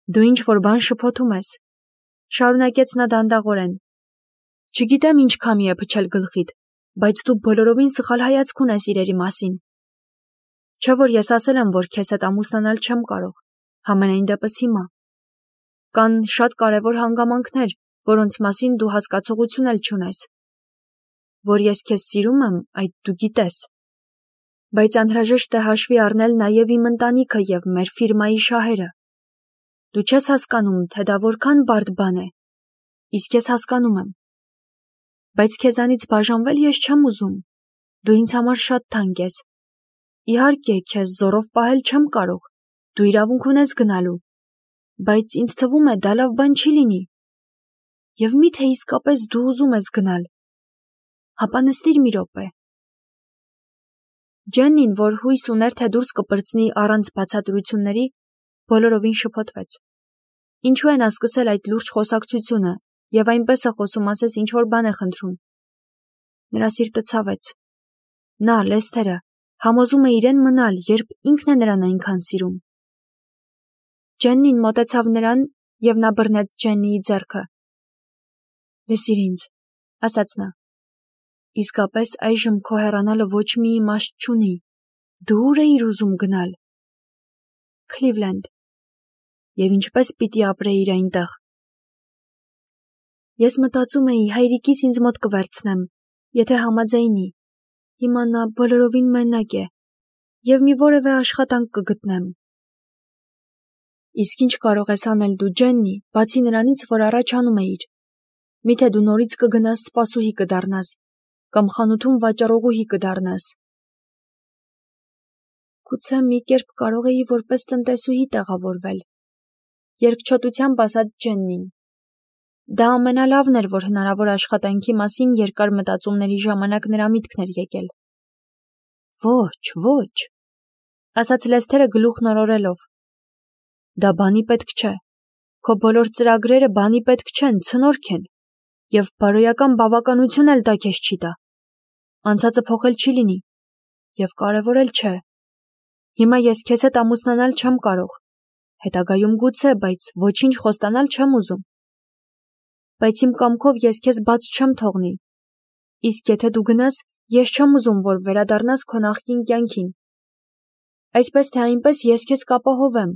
Դու ինչ-որ բան շփոթում ես, շարունակեց նա դանդաղորեն։ Չգիտեմ ինչ քամի է փչել գլխիդ, բայց դու բոլորովին սխալ հայացք ունես իրերի մասին։ Չէ՞ որ ես ասել եմ, որ քեզ հետ ամուսնանալ չեմ կարող, համենայն դեպս հիմա։ Կան շատ կարևոր հանգամանքներ, որոնց մասին դու հասկացողություն էլ չունես։ Որ ես քեզ սիրում եմ, այդ դու գիտես։ Բայց անհրաժեշտ է հաշվի առնել նաև իմ ընտանիքը և մեր ֆիրմայի շահերը։ Դու չես հասկանում, թե դա որքան բարդ բան է, իսկ ես հասկանում եմ։ Բայց քեզանից բաժանվել ես չեմ ուզում, դու ինձ համար շատ թանկ ես։ Իհարկե, քեզ զորով պահել չեմ կարող, դու իրավունք ունես գնալու, բայց ինձ թվում է դա լավ բան չի լինի։ Եվ միթե իսկապես դու ուզում ես գնալ։ Հապա նստիր մի րոպե։ Ջեննին, որ հույս ուներ, թե դուրս կպրծնի առանց բացատրությունների, բոլորովին շփոթվեց։ Ինչու է նա սկսել այդ լուրջ խոսակցությունը և այնպես է խոսում, ասես ինչ-որ բան է խնդրում։ Նրա սիրտը ցավեց։ Նա, Լեսթերը, համոզում է իրեն մնալ, երբ ինքն է նրան այնքան սիրում։ Ջեննին մոտեցավ նրան, և նա բռնեց Ջեննիի ձեռքը։ Լսիր ինձ, ասաց նա։ Իսկապես այժմ քո հեռանալը ոչ մի իմաստ չունի։ Դու ուր էիր ուզում գնալ։ Քլիվլենդ։ Եվ ինչպես պիտի ապրեիր այնտեղ։ Ես մտածում էի, հայրիկիս ինձ մոտ կվերցնեմ, եթե համաձայնի։ Հիմա նա բոլորովին մենակ է, և մի որևէ աշխատանք կգտնեմ։ Իսկ ինչ կարող ես անել դու, Ջեննի, բացի նրանից, որ առաջ անում էիր։ Միթե դու նորից կգնաս սպասուհի կդառնաս, կամ խանութում վաճառողուհի կդառնաս։ Գուցե մի կերպ կարող էի որպես տնտեսուհի տեղավորվել, երկչոտությամբ ասաց Ջեննին։ Դա ամենալավն էր, որ հնարավոր աշխատանքի մասին երկար մտածումների ժամանակ նրա միտքն էր եկել։ Ոչ, ոչ, ասաց Լեսթերը գլուխն օրորելով։ Դա բանի պետք չէ։ Քո բոլոր ծրագրերը բանի պետք չեն, ցնորք են, և բարոյական բավականություն էլ դա քեզ չի տա։ Անցածը փոխել չի լինի, և կարևոր էլ չէ։ Հիմա ես քեզ հետ ամուսնանալ չեմ կարող, հետագայում գուցե, բայց ոչինչ խոստանալ չեմ ուզում։ Բայց իմ կամքով ես քեզ բաց չեմ թողնի։ Իսկ եթե դու գնաս, ես չեմ ուզում, որ վերադառնաս քո նախկին կյանքին։ Այսպես թե այնպես ես քեզ կապահովեմ։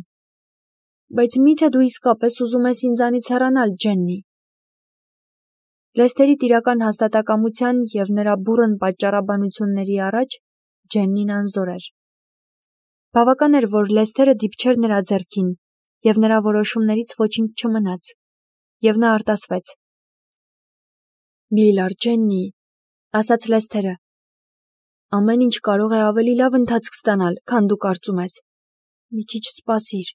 Բայց միթե դու իսկապես ուզում ես ինձանից հեռանալ, Ջեննի։ Լեսթերի տիրական հաստատակամության և նրա բուռն պատճառաբանությունների առաջ Ջեննին անզոր էր։ Բավական էր, որ Լեսթերը դիպչեր նրա ձեռքին, և նրա որոշումներից ոչինչ չմնաց, և նա արտասվեց։ Մի լար, Ջեննի, ասաց Լեսթերը։ Ամեն ինչ կարող է ավելի լավ ընթացք ստանալ, քան դու կարծում ես։ Մի քիչ սպասիր։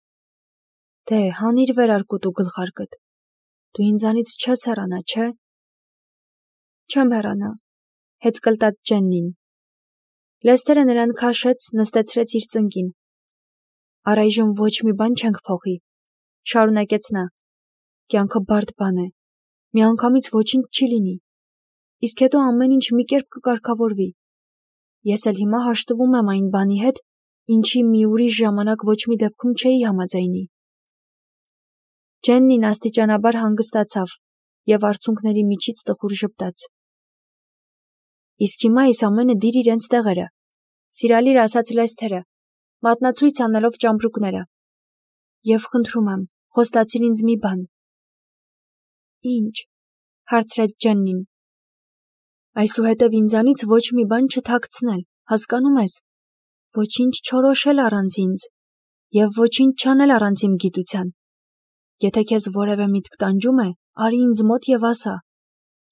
Դե, հանիր վերարկուտ ու գլխարկդ։ Դու ինձանից չես հեռանա, չէ՞։ Չեմ հեռանա, հեծկլտաց Ջեննին։ Լեսթերը նրան քաշեց, նստեցրեց իր ծնկին։ Առայժմ ոչ մի բան չենք փոխի, շարունակեց նա։ Կյանքը բարդ բան է, միանգամից ոչինչ չի լինի, իսկ հետո ամեն ինչ մի կերպ կկարգավորվի։ Ես էլ հիմա հաշտվում եմ այն բանի հետ, ինչի մի ուրիշ ժամանակ ոչ մի դեպքում չէի համաձայնի։ Ջեննին աստիճանաբար հանգստացավ և արցունքների միջից տխուր ժպտաց։ Իսկ հիմա այս ամենը դիր իրենց տեղերը, սիրալիր ասաց Լեսթերը, մատնացույց անելով ճամպրուկները։ Եվ խնդրում եմ, խոստացիր ինձ մի բան։ Ինչ, հարցրեց Ջեննին։ Այսուհետև ինձանից ոչ մի բան չթաքցնել, հասկանում ես։ Ոչինչ չորոշել առանց ինձ, և ոչինչ չանել առանց իմ գիտության։ Եթե քեզ որևէ միտք տանջում է, արի ինձ մոտ և ասա։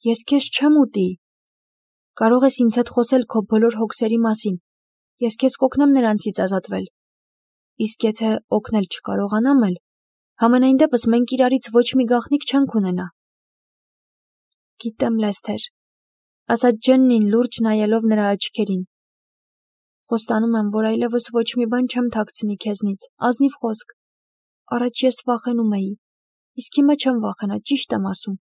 Ես քեզ չեմ ուտի։ Կարող ես ինձ հետ խոսել քո բոլոր հոգսերի մասին, ես քեզ կօգնեմ նրանցից ազատվել։ Իսկ եթե օգնել չկարողանամ էլ, համենայն դեպս մենք իրարից ոչ մի գաղտնիք չենք ունենա։ Գիտեմ, Լեսթեր, ասաց Ջեննին լուրջ նայելով նրա աչքերին։ Խոստանում եմ, որ այլևս ոչ մի բան չեմ թաքցնի քեզնից, ազնիվ խոսք։ Առաջ ես վախենում էի, իսկ հիմա չեմ վախենա, ճիշտ եմ ասում։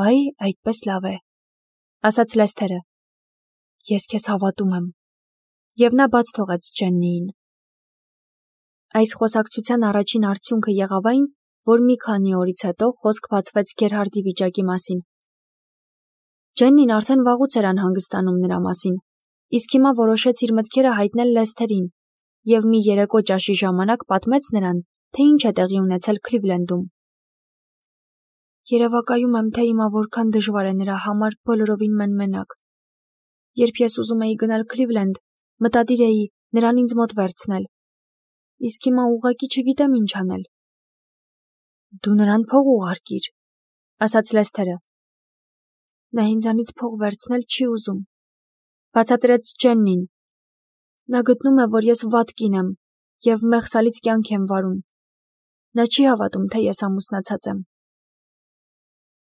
Այ, այդպես լավ է, ասաց Լեսթերը։ Ես քեզ հավատում եմ։ Եվ նա բաց թողեց Ջեննիին։ Այս խոսակցության առաջին արդյունքը եղավ այն, որ մի քանի օրից հետո խոսք բացվեց Գերհարդի վիճակի մասին։ Ջեննին արդեն վաղուց էր անհանգստանում նրա մասին, իսկ հիմա որոշեց իր մտքերը հայտնել Լեսթերին և մի երեկո ճաշի ժամանակ պատմեց նրան, թե ինչ է տեղի ունեցել Քլիվլենդում։ Երևակայում եմ, թե հիմա որքան դժվար է նրա համար բոլորովին մենմենակ։ Երբ ես ուզում էի գնալ Քլիվլենդ, մտադիր էի նրան ինձ մոտ վերցնել։ Իսկ հիմա ուղղակի չգիտեմ ինչ անել։ Դու նրան փող ուղարկիր, ասաց Լեսթերը։ Նա ինձանից փող վերցնել չի ուզում, բացատրեց Ջեննին։ Նա գտնում է, որ ես վատ կին եմ և մեղսալից կյանք եմ վարում։ Նա չի հավատում, թե ես ամուսնացած եմ։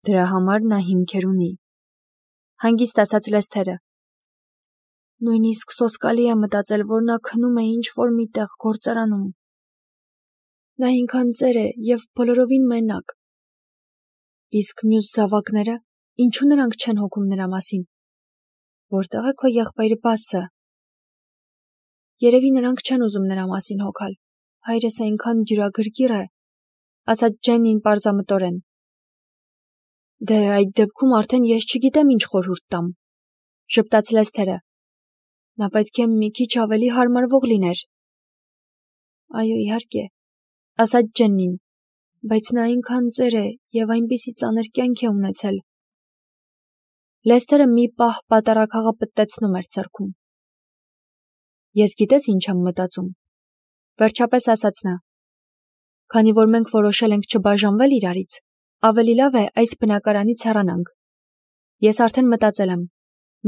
Դրա համար նա հիմքեր ունի, հանգիստ ասաց Լեսթերը։ Նույնիսկ սոսկալի է մտածել, որ նա քնում է ինչ-որ մի տեղ գործարանում։ Նա ինքան ծեր է և բոլորովին մենակ։ Իսկ մյուս զավակները, ինչու նրանք չեն հոգում նրա մասին։ Որտեղ է քո եղբայր Բասը։ Երևի նրանք չեն ուզում նրա մասին հոգալ։ Հայրս այնքան դյուրագրգիռ է, ասաց Ջեննին պարզամտորեն։ Դե այդ դեպքում արդեն ես չգիտեմ ինչ խորհուրդ տամ, ժպտաց Լեսթերը։ Նա պետք է մի քիչ ավելի հարմարվող լիներ։ Այո, իհարկե, ասաց Ջեննին, բայց նա այնքան ծեր է և այնպիսի ծանր կյանք է ունեցել։ Լեսթերը մի պահ պատարագ պտտեցնում էր ձեռքում։ Ես գիտես ինչ եմ մտածում, վերջապես ասաց նա։ Քանի որ մենք որոշել ենք չբաժանվել իրարից, ավելի լավ է այս բնակարանից հեռանանք։ Ես արդեն մտածել եմ,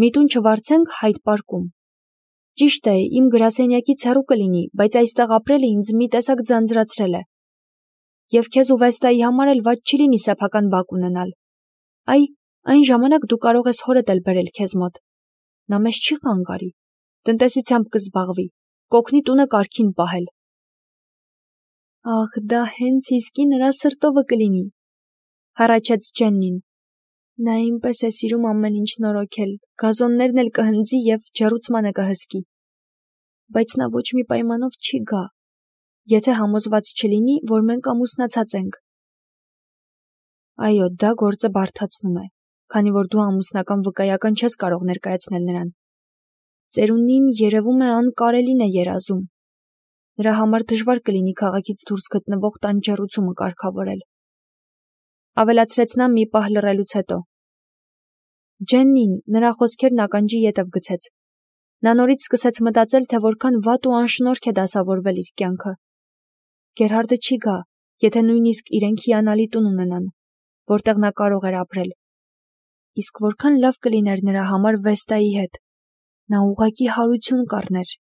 մի տուն չվարձենք Հայդ պարկում։ Ճիշտ է, իմ գրասենյակից հեռու կլինի, բայց այստեղ ապրելը ինձ մի տեսակ ձանձրացրել է։ Եվ քեզ ու Վեստայի համար էլ վատ չի լինի սեփական բակ ունենալ։ Այն ժամանակ դու կարող ես հորդ էլ բերել քեզ մոտ։ Նա մեզ չի խանգարի, տնտեսությամբ կզբաղվի, կօգնի տունը կարգին պահել։ Ախ, դա հենց իսկի նրա սրտովը կլինի, հառաչեց Ջեննին։ Նա այնպես է սիրում ամեն ինչ նորոգել, գազոններն էլ կհնձի և ջեռուցմանը կհսկի։ Բայց նա ոչ մի պայմանով չի գա, եթե համոզված չլինի, որ մենք ամուսնացած ենք։ Այո, դա գործը բարդացնում է, քանի որ դու ամուսնական վկայական չես կարող ներկայացնել նրան։ Ծերունին երևում է անկարելին է երազում։ Նրա համար դժվար կլինի քաղաքից դուրս գտնվող տան ջեռուցումը կարգավորել։ Ավելացրեց նա մի պահ լռելուց հետո։ Ջեննին նրա խոսքերն ականջի ետև գցեց։ Նա նորից սկսեց մտածել, թե որքան վատ ու անշնորհք է դասավորվել իր կյանքը։ Գերհարդը չի գա, եթե նույնիսկ իրենք հիանալի տուն ունենան, որտեղ նա կարող էր ապրել։ Իսկ որքան լավ կլիներ նրա համար Վեստայի հետ։ Նա ուղղակի հարություն կառներ։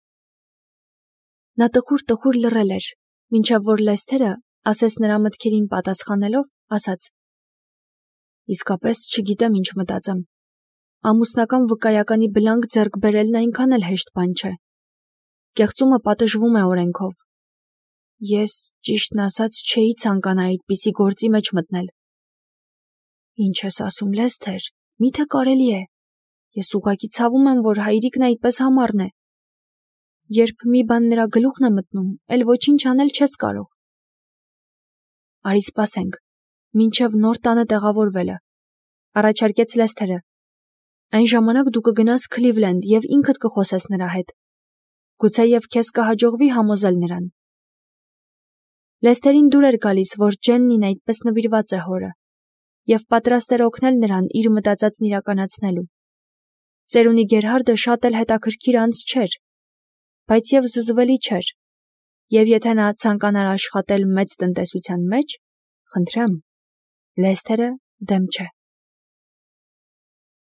Նա տխուր լռել էր, մինչև որ Լեսթերը, ասես նրա մտքերին պատասխանելով, ասաց. Իսկապես չգիտեմ ինչ մտածեմ։ Ամուսնական վկայականի բլանկ ձեռք բերելն այնքան էլ հեշտ բան չէ։ Կեղծումը պատժվում է օրենքով։ Ես, ճիշտն ասած, չէի ցանկանա այդպիսի գործի մեջ մտնել։ Ինչ ես ասում, Լեսթեր, միթե կարելի է։ Ես ուղղակի ցավում եմ, որ հայրիկն այդպես համառն է։ Երբ մի բան նրա գլուխն է մտնում, էլ ոչինչ անել չես կարող։ Արի սպասենք, մինչև նոր տանը տեղավորվելը, առաջարկեց Լեսթերը։ Այն ժամանակ դու կգնաս Քլիվլենդ և ինքդ կխոսես նրա հետ։ Գուցեև քեզ կհաջողվի համոզել նրան։ Լեսթերին դուր էր գալիս, որ Ջեննին այդպես նվիրված է հորը, և պատրաստ էր օգնել նրան իր մտածածն իրականացնելու։ Ծերունի Գերհարդը շատ էլ հետաքրքիր անձ չէր, բայց և զզվելի չէր, և եթե նա ցանկանար աշխատել մեծ տնտեսության մեջ, խնդրեմ, Լեսթերը դեմ չէ։